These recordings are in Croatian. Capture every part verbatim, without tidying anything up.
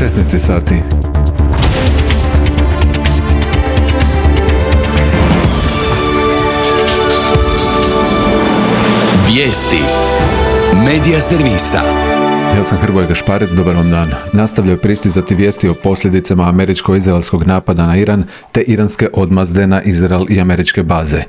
šesnaest sati. Vijesti Medija servisa. Ja sam Hrvoje Gašparec, dobar vam dan. Nastavljaju pristizati vijesti o posljedicama američko-izraelskog napada na Iran te iranske odmazde na Izrael i američke baze.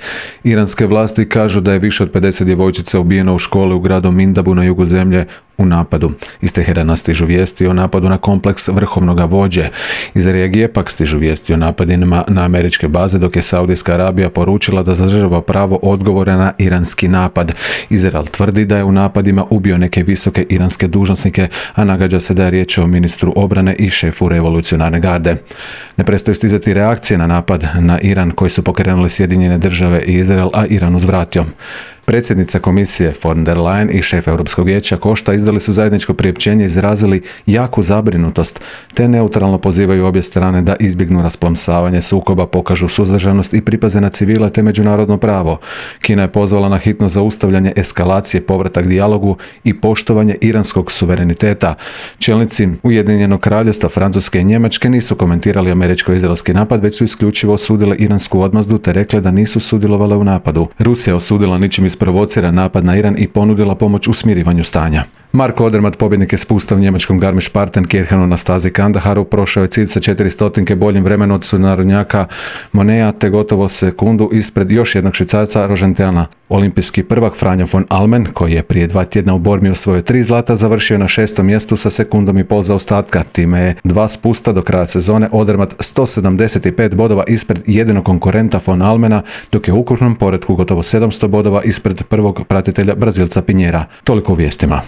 Iranske vlasti kažu da je više od pedeset djevojčica ubijeno u školi u gradu Mindabu na jugu zemlje u napadu. Iz Teherana stižu vijesti o napadu na kompleks vrhovnoga vođe. Iz regije pak stižu vijesti o napadima na američke baze, dok je Saudijska Arabija poručila da zadržava pravo odgovora na iranski napad. Izrael tvrdi da je u napadima ubio neke visoke iranske dužnosnike, a nagađa se da je riječ o ministru obrane i šefu revolucionarne garde. Ne prestaju stizati reakcije na napad na Iran koji su pokrenuli Sjedinjene države i Izrael, a Iran uzvratio. Predsjednica komisije von der Leyen i šef Europskog vijeća Košta izdali su zajedničko priopćenje i izrazili jaku zabrinutost, te neutralno pozivaju obje strane da izbjegnu rasplamsavanje sukoba, pokažu suzdržanost i pripaze na civile te međunarodno pravo. Kina je pozvala na hitno zaustavljanje eskalacije, povratak dijalogu i poštovanje iranskog suvereniteta. Čelnici Ujedinjenog Kraljevstva, Francuske i Njemačke nisu komentirali američko-izraelski napad, već su isključivo osudile iransku odmazdu te rekle da nisu sudjelovale u napadu. Rusija je osudila ničim isprovocira napad na Iran i ponudila pomoć u smirivanju stanja. Marko Odermatt, pobjednik je spusta u njemačkom Garmisch-Partenkirchenu na stazi Kandaharu, prošao je cilj sa četiri stotinke boljim vremenom od sunarodnjaka Monea te gotovo sekundu ispred još jednog Švicarca Rožentjana. Olimpijski prvak Franjo von Almen, koji je prije dva tjedna u Bormi osvojio tri zlata, završio na šestom mjestu sa sekundom i pol zaostatka. Time je dva spusta do kraja sezone Odermatt sto sedamdeset pet bodova ispred jedinog konkurenta von Almena, dok je u ukupnom poretku gotovo sedamsto bodova ispred prvog pratitelja Brazilca Pinjera. Toliko u vijestima.